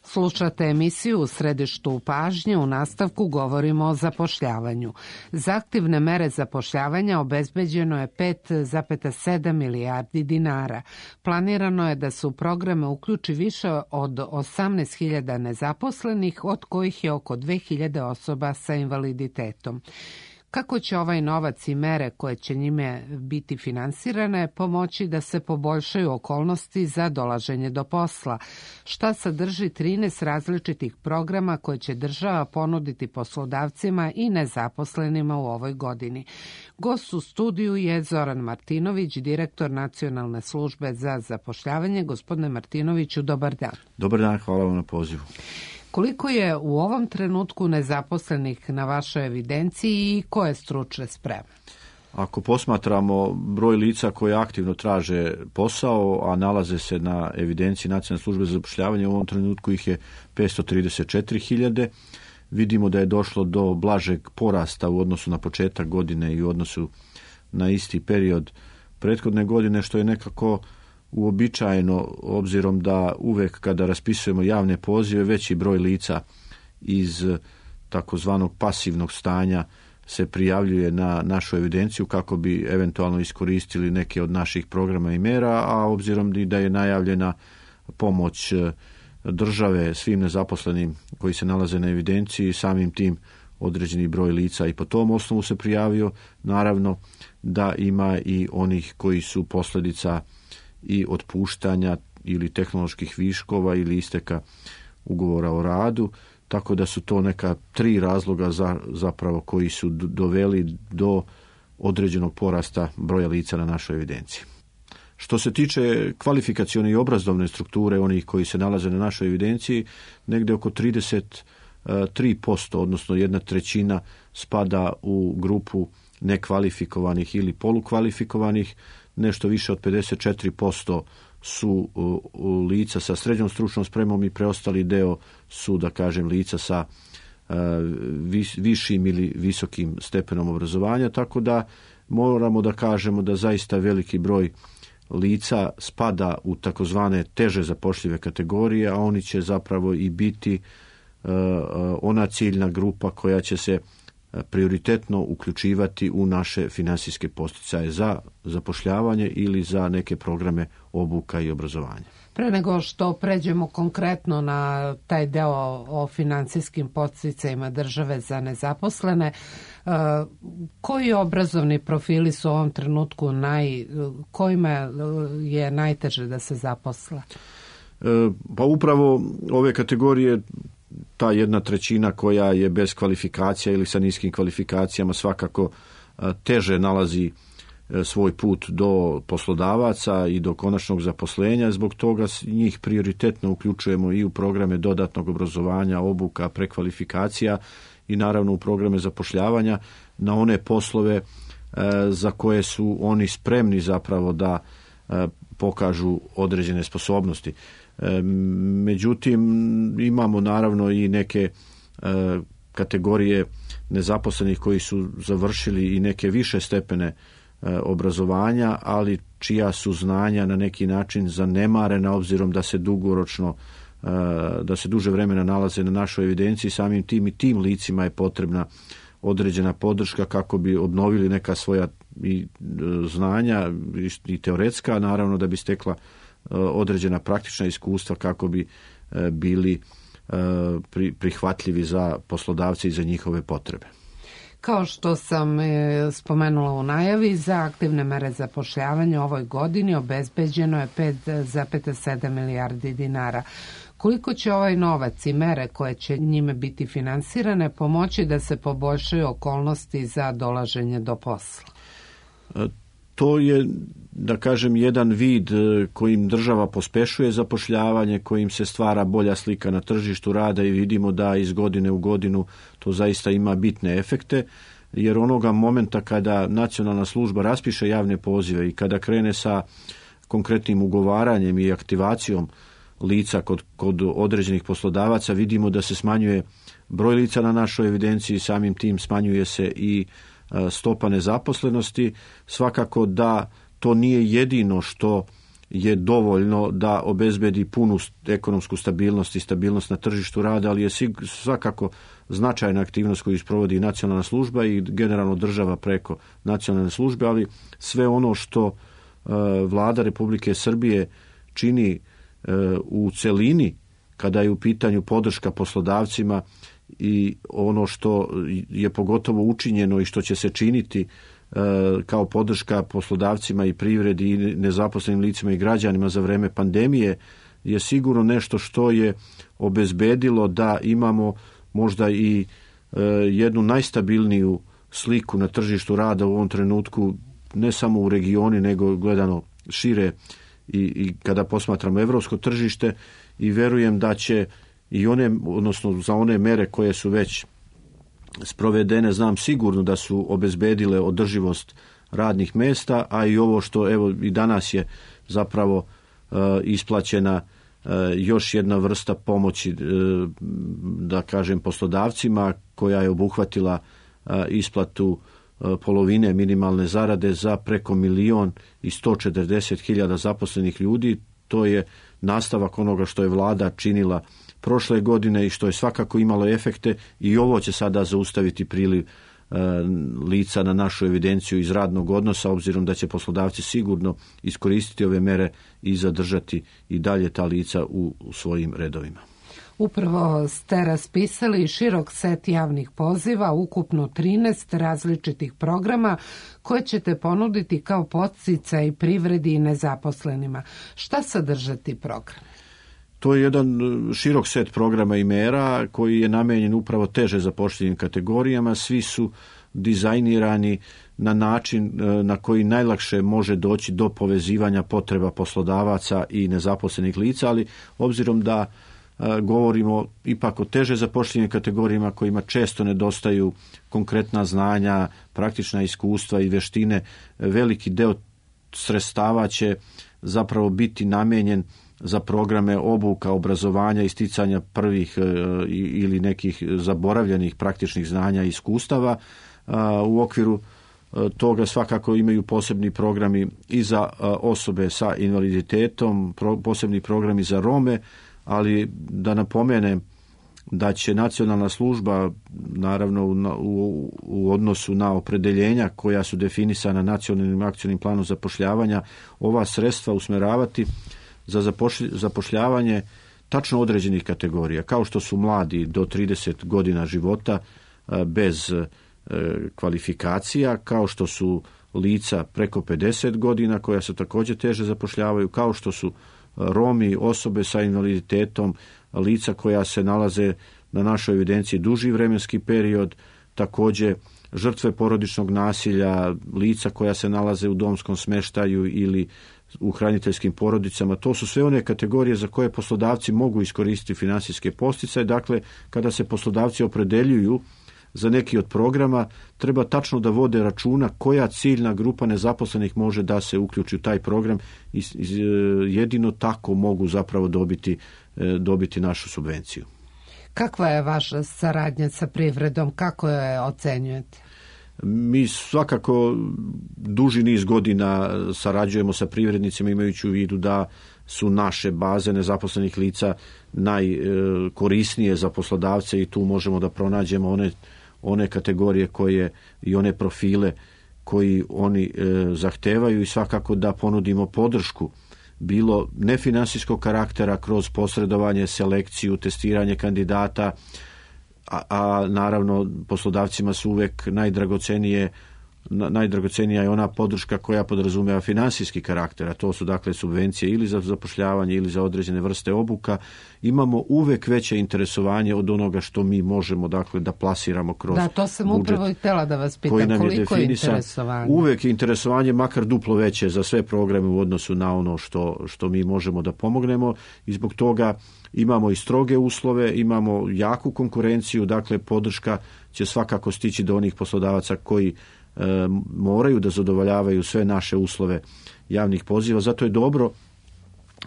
Slušate emisiju U središtu pažnje, u nastavku govorimo o zapošljavanju. Za aktivne mere zapošljavanja obezbeđeno je 5,7 milijardi dinara. Planirano je da se u programe uključi više od 18.000 nezaposlenih, od kojih je oko 2.000 osoba sa invaliditetom. Kako će ovaj novac i mere koje će njime biti finansirane pomoći da se poboljšaju okolnosti za dolaženje do posla? Šta sadrži 13 različitih programa koje će država ponuditi poslodavcima i nezaposlenima u ovoj godini? Gost u studiju je Zoran Martinović, direktor Nacionalne službe za zapošljavanje. Gospodine Martinoviću, dobar dan. Dobar dan, hvala vam na pozivu. Koliko je u ovom trenutku nezaposlenih na vašoj evidenciji i koje stručne spreme? Ako posmatramo broj lica koje aktivno traže posao, a nalaze se na evidenciji Nacionalne službe za zapošljavanje, u ovom trenutku ih je 534.000. Vidimo da je došlo do blažeg porasta u odnosu na početak godine i u odnosu na isti period prethodne godine, što je nekako uobičajeno, obzirom da uvek kada raspisujemo javne pozive, veći broj lica iz takozvanog pasivnog stanja se prijavljuje na našu evidenciju kako bi eventualno iskoristili neke od naših programa i mera, a obzirom da je najavljena pomoć države svim nezaposlenim koji se nalaze na evidenciji, samim tim određeni broj lica i po tom osnovu se prijavio. Naravno da ima i onih koji su posljedica i otpuštanja ili tehnoloških viškova ili isteka ugovora o radu, tako da su to neka 3 razloga zapravo koji su doveli do određenog porasta broja lica na našoj evidenciji. Što se tiče kvalifikacione i obrazovne strukture onih koji se nalaze na našoj evidenciji, negdje oko 33%, odnosno 1/3 spada u grupu nekvalifikovanih ili polukvalifikovanih, nešto više od 54% su lica sa srednjom stručnom spremom i preostali deo su, da kažem, lica sa višim ili visokim stepenom obrazovanja, tako da moramo da kažemo da zaista veliki broj lica spada u takozvane teže zapošljive kategorije, a oni će zapravo i biti ona ciljna grupa koja će se prioritetno uključivati u naše finansijske posticaje za zapošljavanje ili za neke programe obuka i obrazovanja. Pre nego što pređemo konkretno na taj deo o finansijskim podsticajima države za nezaposlene, koji obrazovni profili su u ovom trenutku kojima je najteže da se zaposle? Pa upravo ove kategorije, ta 1/3 koja je bez kvalifikacija ili sa niskim kvalifikacijama svakako teže nalazi svoj put do poslodavaca i do konačnog zaposlenja. Zbog toga njih prioritetno uključujemo i u programe dodatnog obrazovanja, obuka, prekvalifikacija i naravno u programe zapošljavanja na one poslove za koje su oni spremni zapravo da pokažu određene sposobnosti. Međutim, imamo naravno i neke kategorije nezaposlenih koji su završili i neke više stepene obrazovanja, ali čija su znanja na neki način zanemarena obzirom da se dugoročno, da se duže vremena nalaze na našoj evidenciji. Samim tim i tim licima je potrebna određena podrška kako bi obnovili neka svoja i znanja i teoretska, naravno da bi stekla određena praktična iskustva kako bi bili prihvatljivi za poslodavce i za njihove potrebe. Kao što sam spomenula u najavi, za aktivne mere zapošljavanja u ovoj godini obezbeđeno je 5,7 milijardi dinara. Koliko će ovaj novac i mere koje će njime biti finansirane pomoći da se poboljšaju okolnosti za dolaženje do posla? To je, da kažem, jedan vid kojim država pospešuje zapošljavanje, kojim se stvara bolja slika na tržištu rada i vidimo da iz godine u godinu to zaista ima bitne efekte, jer onoga momenta kada nacionalna služba raspiše javne pozive i kada krene sa konkretnim ugovaranjem i aktivacijom lica kod određenih poslodavaca, vidimo da se smanjuje broj lica na našoj evidenciji, samim tim smanjuje se i stopa nezaposlenosti. Svakako da to nije jedino što je dovoljno da obezbedi punu ekonomsku stabilnost i stabilnost na tržištu rada, ali je svakako značajna aktivnost koju sprovodi nacionalna služba i generalno država preko nacionalne službe, ali sve ono što Vlada Republike Srbije čini u celini kada je u pitanju podrška poslodavcima i ono što je pogotovo učinjeno i što će se činiti kao podrška poslodavcima i privredi i nezaposlenim licima i građanima za vreme pandemije je sigurno nešto što je obezbedilo da imamo možda i jednu najstabilniju sliku na tržištu rada u ovom trenutku, ne samo u regioni nego gledano šire i kada posmatramo evropsko tržište, i verujem da će i one, odnosno za one mere koje su već sprovedene, znam sigurno da su obezbedile održivost radnih mesta, a i ovo što evo i danas je zapravo isplaćena još jedna vrsta pomoći, da kažem, poslodavcima koja je obuhvatila isplatu polovine minimalne zarade za preko 1.140.000 zaposlenih ljudi. To je nastavak onoga što je vlada činila prošle godine i što je svakako imalo efekte, i ovo će sada zaustaviti priliv lica na našu evidenciju iz radnog odnosa, obzirom da će poslodavci sigurno iskoristiti ove mere i zadržati i dalje ta lica u svojim redovima. Upravo ste raspisali širok set javnih poziva, ukupno 13 različitih programa koje ćete ponuditi kao podsticaj privredi i nezaposlenima. Šta sadrže ti program? To je jedan širok set programa i mera koji je namenjen upravo teže zapošljivim kategorijama. Svi su dizajnirani na način na koji najlakše može doći do povezivanja potreba poslodavaca i nezaposlenih lica, ali obzirom da govorimo ipak o teže zapošljivim kategorijama kojima često nedostaju konkretna znanja, praktična iskustva i vještine, veliki deo sredstava će zapravo biti namijenjen za programe obuka, obrazovanja i sticanja prvih ili nekih zaboravljenih praktičnih znanja i iskustava. U okviru toga svakako imaju posebni programi i za osobe sa invaliditetom, posebni programi za Rome, ali da napomenem da će nacionalna služba, naravno u odnosu na opredeljenja koja su definisana nacionalnim akcionim planom zapošljavanja, ova sredstva usmjeravati za zapošljavanje tačno određenih kategorija, kao što su mladi do 30 godina života bez kvalifikacija, kao što su lica preko 50 godina koja se također teže zapošljavaju, kao što su Romi, osobe sa invaliditetom, lica koja se nalaze na našoj evidenciji duži vremenski period, također žrtve porodičnog nasilja, lica koja se nalaze u domskom smještaju ili u hraniteljskim porodicama. To su sve one kategorije za koje poslodavci mogu iskoristiti financijske posticaje. Dakle, kada se poslodavci opredeljuju za neki od programa, treba tačno da vode računa koja ciljna grupa nezaposlenih može da se uključi u taj program i jedino tako mogu zapravo dobiti našu subvenciju. Kakva je vaša saradnja sa privredom? Kako je ocenjujete? Mi svakako duži niz godina sarađujemo sa privrednicima imajući u vidu da su naše baze nezaposlenih lica najkorisnije za poslodavce i tu možemo da pronađemo one kategorije koje i one profile koji oni zahtevaju i svakako da ponudimo podršku bilo nefinansijskog karaktera kroz posredovanje, selekciju, testiranje kandidata, a naravno poslodavcima su uvek najdragocenija je ona podrška koja podrazumeva finansijski karakter, a to su dakle subvencije ili za zapošljavanje ili za određene vrste obuka. Imamo uvek veće interesovanje od onoga što mi možemo dakle da plasiramo kroz budžet. Da, to sam upravo i htjela da vas pitam, koliko je interesovanje? Uvek je interesovanje makar duplo veće za sve programe u odnosu na ono što mi možemo da pomognemo i zbog toga imamo i stroge uslove, imamo jaku konkurenciju, dakle podrška će svakako stići do onih poslodavaca koji moraju da zadovoljavaju sve naše uslove javnih poziva. Zato je dobro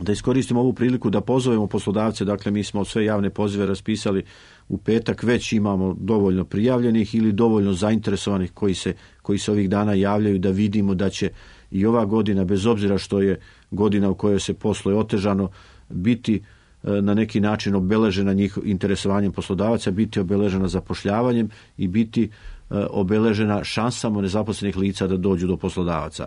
da iskoristimo ovu priliku da pozovemo poslodavce, dakle mi smo sve javne pozive raspisali u petak, već imamo dovoljno prijavljenih ili dovoljno zainteresovanih koji se ovih dana javljaju da vidimo da će i ova godina, bez obzira što je godina u kojoj se posluje otežano, biti na neki način obeležena interesovanjem poslodavaca, biti obeležena zapošljavanjem i biti obeležena šansama nezaposlenih lica da dođu do poslodavaca.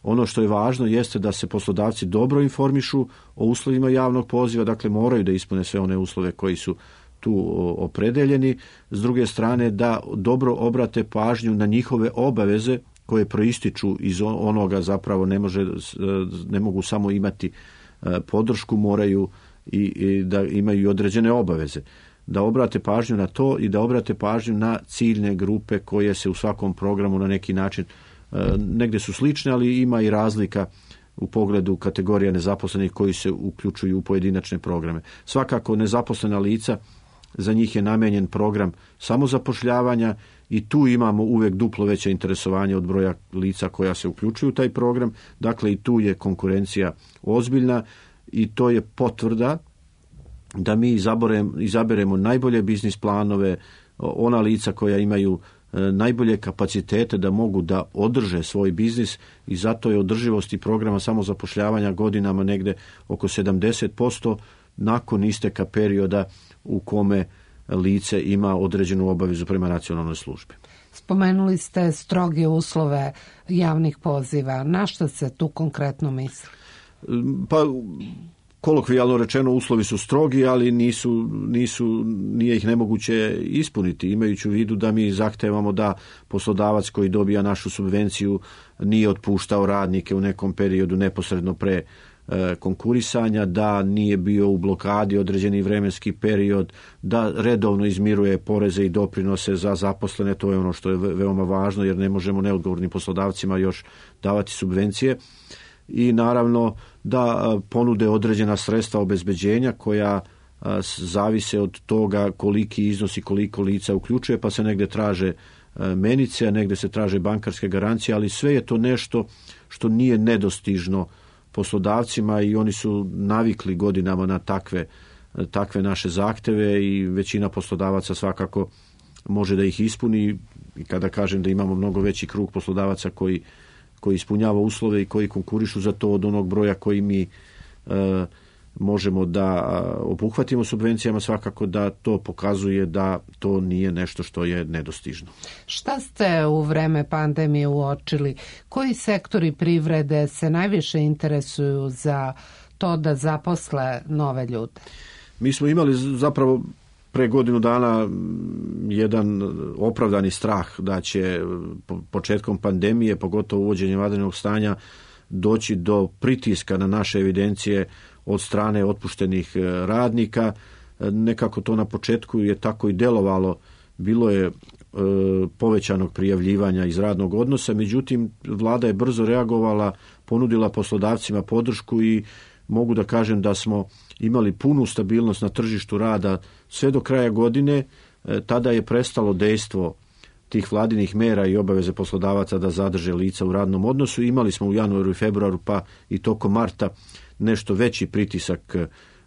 Ono što je važno jeste da se poslodavci dobro informišu o uslovima javnog poziva, dakle moraju da ispune sve one uslove koji su tu opredeljeni. S druge strane da dobro obrate pažnju na njihove obaveze koje proističu iz onoga, zapravo ne mogu samo imati podršku, moraju i da imaju određene obaveze. Da obrate pažnju na to i da obrate pažnju na ciljne grupe koje se u svakom programu na neki način negdje su slične, ali ima i razlika u pogledu kategorija nezaposlenih koji se uključuju u pojedinačne programe. Svakako nezaposlena lica, za njih je namijenjen program samozapošljavanja i tu imamo uvijek duplo veće interesovanje od broja lica koja se uključuju u taj program. Dakle, i tu je konkurencija ozbiljna i to je potvrda da mi izaberemo najbolje biznis planove, ona lica koja imaju najbolje kapacitete da mogu da održe svoj biznis i zato je održivost i programa samozapošljavanja godinama negde oko 70% nakon isteka perioda u kome lice ima određenu obavezu prema nacionalnoj službi. Spomenuli ste stroge uslove javnih poziva. Na što se tu konkretno misli? Pa kolokvijalno rečeno uslovi su strogi, ali nije ih nemoguće ispuniti, imajući u vidu da mi zahtevamo da poslodavac koji dobija našu subvenciju nije otpuštao radnike u nekom periodu neposredno pre konkurisanja, da nije bio u blokadi određeni vremenski period, da redovno izmiruje poreze i doprinose za zaposlene. To je ono što je veoma važno, jer ne možemo neodgovornim poslodavcima još davati subvencije. I naravno da ponude određena sredstva obezbeđenja koja zavise od toga koliki iznos i koliko lica uključuje, pa se negde traže menice, a negde se traže bankarske garancije, ali sve je to nešto što nije nedostižno poslodavcima i oni su navikli godinama na takve naše zahteve i većina poslodavaca svakako može da ih ispuni. I kada kažem da imamo mnogo veći krug poslodavaca koji ispunjava uslove i koji konkurišu za to od onog broja koji mi možemo da obuhvatimo subvencijama, svakako da to pokazuje da to nije nešto što je nedostižno. Šta ste u vreme pandemije uočili? Koji sektori privrede se najviše interesuju za to da zaposle nove ljude? Mi smo imali zapravo pre godinu dana jedan opravdani strah da će početkom pandemije, pogotovo uvođenjem vanrednog stanja, doći do pritiska na naše evidencije od strane otpuštenih radnika. Nekako to na početku je tako i delovalo. Bilo je povećanog prijavljivanja iz radnog odnosa, međutim vlada je brzo reagovala, ponudila poslodavcima podršku i mogu da kažem da smo imali punu stabilnost na tržištu rada sve do kraja godine. Tada je prestalo dejstvo tih vladinih mera i obaveze poslodavaca da zadrže lica u radnom odnosu. Imali smo u januaru i februaru pa i tokom marta nešto veći pritisak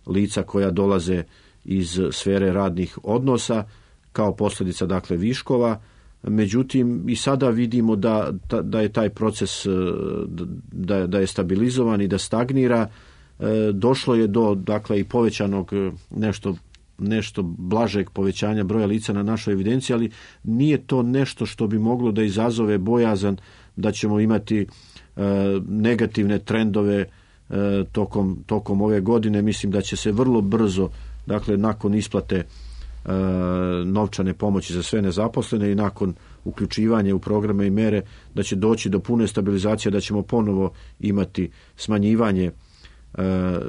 lica koja dolaze iz sfere radnih odnosa kao posljedica dakle viškova. Međutim i sada vidimo da je taj proces da je stabilizovan i da stagnira. Došlo je do dakle i povećanog nešto blažeg povećanja broja lica na našoj evidenciji, ali nije to nešto što bi moglo da izazove bojazan da ćemo imati negativne trendove tokom ove godine. Mislim da će se vrlo brzo, dakle nakon isplate novčane pomoći za sve nezaposlene i nakon uključivanja u programe i mere, da će doći do pune stabilizacije, da ćemo ponovo imati smanjivanje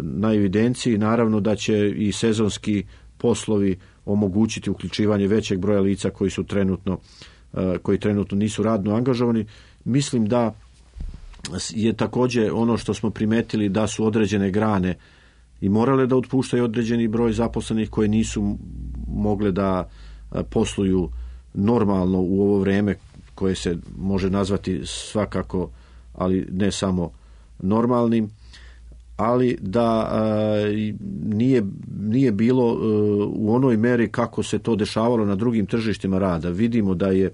na evidenciji. Naravno da će i sezonski poslovi omogućiti uključivanje većeg broja lica koji trenutno nisu radno angažovani. Mislim da je također ono što smo primetili da su određene grane i morale da otpuštaju određeni broj zaposlenih koje nisu mogle da posluju normalno u ovo vreme koje se može nazvati svakako, ali ne samo normalnim, ali da nije bilo u onoj meri kako se to dešavalo na drugim tržištima rada. Vidimo da je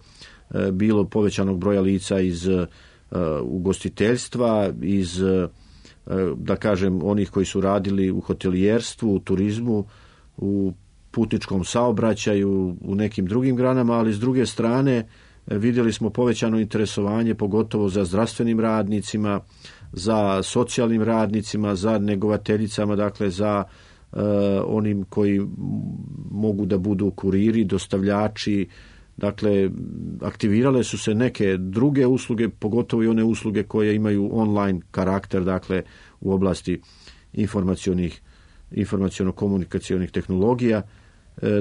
bilo povećanog broja lica iz ugostiteljstva, iz da kažem onih koji su radili u hotelijerstvu, u turizmu, u putničkom saobraćaju, u nekim drugim granama, ali s druge strane vidjeli smo povećano interesovanje pogotovo za zdravstvenim radnicima, za socijalnim radnicima, za negovateljicama, dakle za onim koji mogu da budu kuriri, dostavljači. Dakle, aktivirale su se neke druge usluge, pogotovo i one usluge koje imaju online karakter, dakle u oblasti informaciono-komunikacionih tehnologija.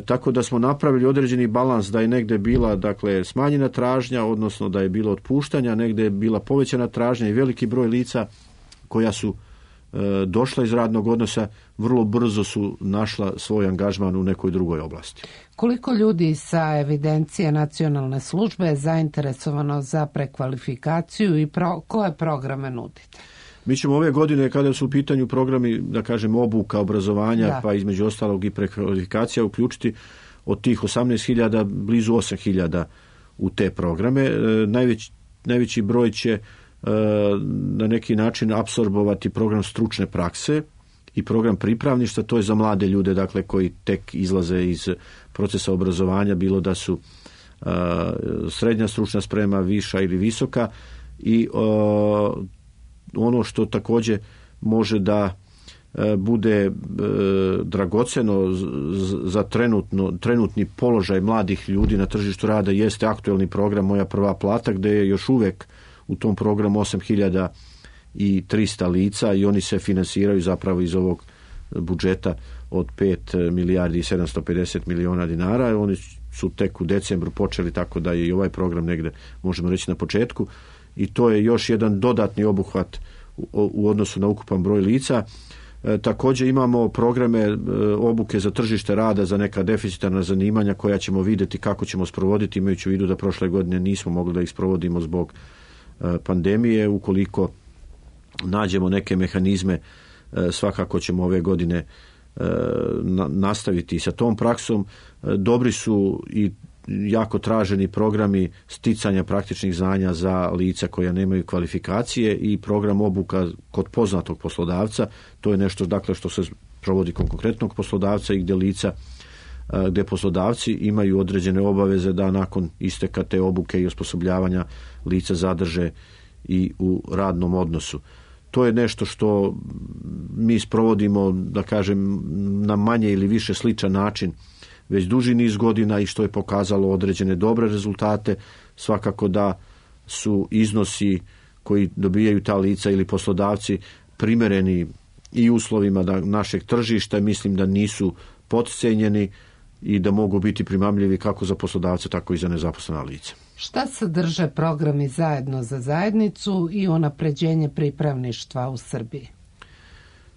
Tako da smo napravili određeni balans da je negde bila dakle smanjena tražnja, odnosno da je bilo otpuštanja, negde je bila povećana tražnja i veliki broj lica koja su došla iz radnog odnosa vrlo brzo su našla svoj angažman u nekoj drugoj oblasti. Koliko ljudi sa evidencije nacionalne službe je zainteresovano za prekvalifikaciju i koje programe nudite? Mi ćemo ove godine, kada su u pitanju programi, da kažem, obuka, obrazovanja, pa između ostalog i prekvalifikacija, uključiti od tih 18.000 blizu 8.000 u te programe. Najveći broj će na neki način apsorbovati program stručne prakse i program pripravništva, to je za mlade ljude, dakle, koji tek izlaze iz procesa obrazovanja, bilo da su srednja stručna sprema, viša ili visoka, i ono što također može da bude dragoceno za trenutni položaj mladih ljudi na tržištu rada jeste aktuelni program Moja prva plata, gde je još uvek u tom programu 8.300 lica i oni se finansiraju zapravo iz ovog budžeta od 5 milijardi i 750 miliona dinara. Oni su tek u decembru počeli, tako da je i ovaj program negde, možemo reći, na početku, i to je još jedan dodatni obuhvat u odnosu na ukupan broj lica. Također imamo programe obuke za tržište rada za neka deficitarna zanimanja koja ćemo vidjeti kako ćemo sprovoditi, imajući u vidu da prošle godine nismo mogli da ih sprovodimo zbog pandemije. Ukoliko nađemo neke mehanizme, svakako ćemo ove godine nastaviti sa tom praksom. Dobri su i jako traženi programi sticanja praktičnih znanja za lica koja nemaju kvalifikacije i program obuka kod poznatog poslodavca. To je nešto, dakle, što se provodi kod konkretnog poslodavca i gdje poslodavci imaju određene obaveze da nakon isteka te obuke i osposobljavanja lica zadrže i u radnom odnosu. To je nešto što mi sprovodimo, da kažem, na manje ili više sličan način već duži niz godina i što je pokazalo određene dobre rezultate. Svakako da su iznosi koji dobijaju ta lica ili poslodavci primereni i uslovima našeg tržišta. Mislim da nisu potcijenjeni i da mogu biti primamljivi kako za poslodavce, tako i za nezaposlena lica. Šta sadrže programi Zajedno za zajednicu i unapređenje pripravništva u Srbiji?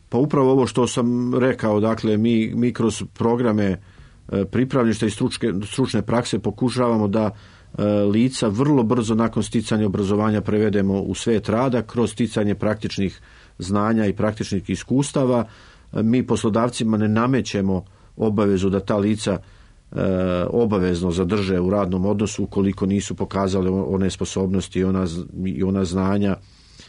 Pa upravo ovo što sam rekao, dakle, mi kroz programe pripravništva i stručne prakse pokušavamo da lica vrlo brzo nakon sticanja obrazovanja prevedemo u svet rada kroz sticanje praktičnih znanja i praktičnih iskustava. Mi poslodavcima ne namećemo obavezu da ta lica obavezno zadrže u radnom odnosu ukoliko nisu pokazali one sposobnosti i ona znanja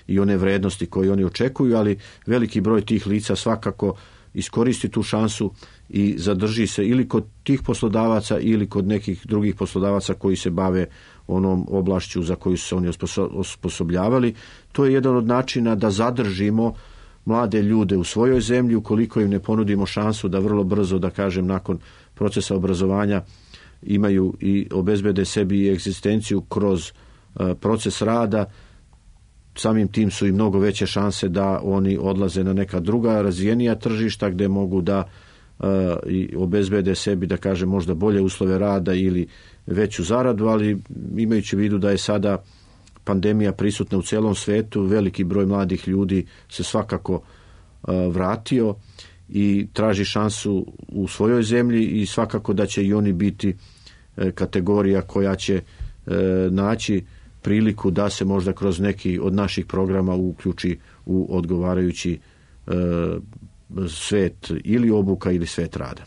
i one vrednosti koje oni očekuju, ali veliki broj tih lica svakako iskoristi tu šansu i zadrži se ili kod tih poslodavaca ili kod nekih drugih poslodavaca koji se bave onom oblašću za koju su se oni osposobljavali. To je jedan od načina da zadržimo mlade ljude u svojoj zemlji ukoliko im ne ponudimo šansu da vrlo brzo, da kažem, nakon procesa obrazovanja imaju i obezbede sebi i egzistenciju kroz proces rada. Samim tim su i mnogo veće šanse da oni odlaze na neka druga razvijenija tržišta gdje mogu da i obezbede sebi, da kažem, možda bolje uslove rada ili veću zaradu, ali imajući u vidu da je sada pandemija prisutna u celom svetu, veliki broj mladih ljudi se svakako vratio i traži šansu u svojoj zemlji i svakako da će i oni biti kategorija koja će naći priliku da se možda kroz neki od naših programa uključi u odgovarajući svet ili obuka ili svet rada.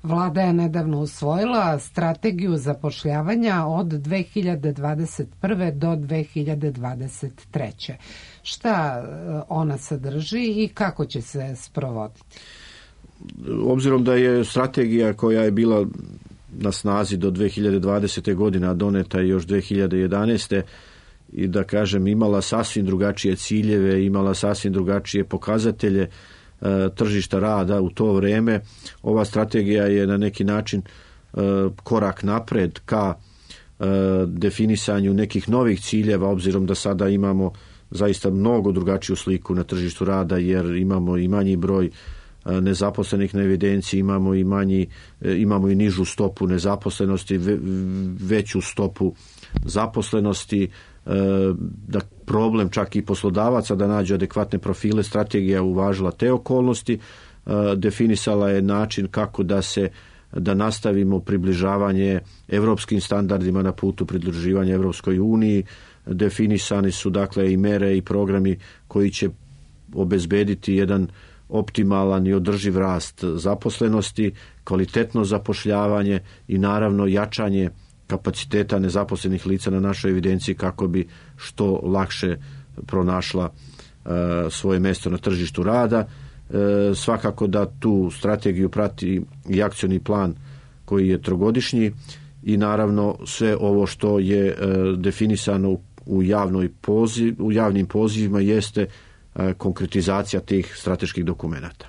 Vlada je nedavno usvojila strategiju zapošljavanja od 2021. do 2023. Šta ona sadrži i kako će se sprovoditi? Obzirom da je strategija koja je bila na snazi do 2020. godine, a doneta je još 2011. i, da kažem, imala sasvim drugačije ciljeve, imala sasvim drugačije pokazatelje tržišta rada u to vreme. Ova strategija je na neki način korak napred ka definisanju nekih novih ciljeva, obzirom da sada imamo zaista mnogo drugačiju sliku na tržištu rada, jer imamo i manji broj nezaposlenih na evidenciji, imamo i nižu stopu nezaposlenosti, veću stopu zaposlenosti, da problem čak i poslodavaca da nađu adekvatne profile. Strategija uvažila te okolnosti, definisala je način kako da nastavimo približavanje evropskim standardima na putu pridruživanja Evropskoj uniji. Definisani su, dakle, i mere i programi koji će obezbediti jedan optimalan i održiv rast zaposlenosti, kvalitetno zapošljavanje i naravno jačanje kapaciteta nezaposlenih lica na našoj evidenciji kako bi što lakše pronašla svoje mjesto na tržištu rada. Svakako da tu strategiju prati i akcioni plan koji je trogodišnji i naravno sve ovo što je definisano u javnim pozivima jeste konkretizacija tih strateških dokumenata.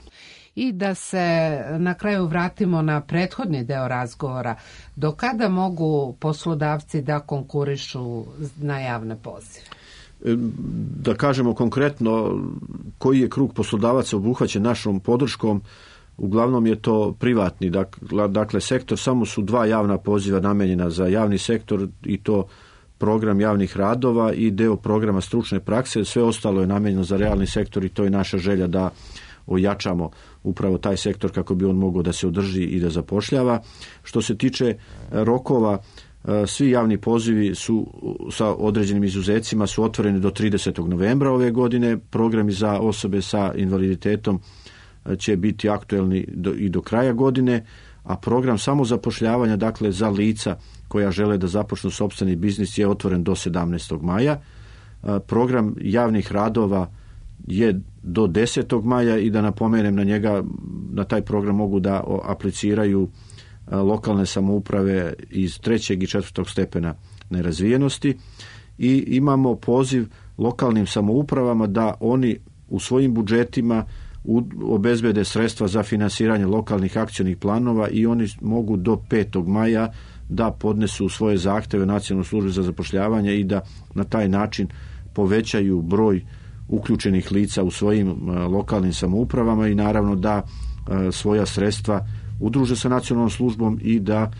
I da se na kraju vratimo na prethodni deo razgovora. Do kada mogu poslodavci da konkurišu na javne pozive? Da kažemo konkretno koji je krug poslodavaca obuhvaćen našom podrškom, uglavnom je to privatni, dakle sektor, samo su 2 javna poziva namenjena za javni sektor i to program javnih radova i deo programa stručne prakse, sve ostalo je namenjeno za realni sektor i to je naša želja da ojačamo upravo taj sektor kako bi on mogao da se održi i da zapošljava. Što se tiče rokova, svi javni pozivi su sa određenim izuzecima su otvoreni do 30. novembra ove godine. Programi za osobe sa invaliditetom će biti aktuelni i do kraja godine, a program samozapošljavanja, dakle za lica koja žele da započnu sopstveni biznis, je otvoren do 17. maja. Program javnih radova je do 10. maja i da napomenem na taj program mogu da apliciraju lokalne samouprave iz 3. i 4. stepena nerazvijenosti i imamo poziv lokalnim samoupravama da oni u svojim budžetima obezbede sredstva za finansiranje lokalnih akcionih planova i oni mogu do 5. maja da podnesu svoje zahteve Nacionalnoj službi za zapošljavanje i da na taj način povećaju broj uključenih lica u svojim lokalnim samoupravama i naravno da svoja sredstva udruže sa nacionalnom službom i da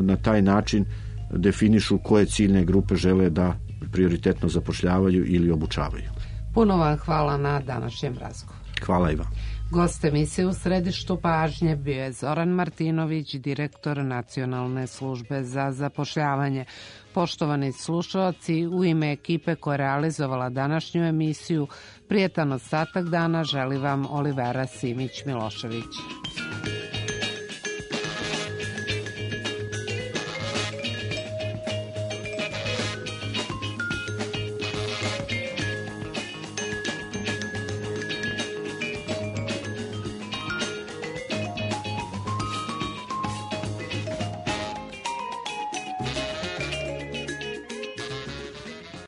na taj način definišu koje ciljne grupe žele da prioritetno zapošljavaju ili obučavaju. Puno vam hvala na današnjem razgovoru. Hvala i vam. Gost emisije U središtu pažnje bio je Zoran Martinović, direktor Nacionalne službe za zapošljavanje. Poštovani slušalci, u ime ekipe koja je realizovala današnju emisiju, prijetan ostatak dana želi vam Olivera Simić-Milošević.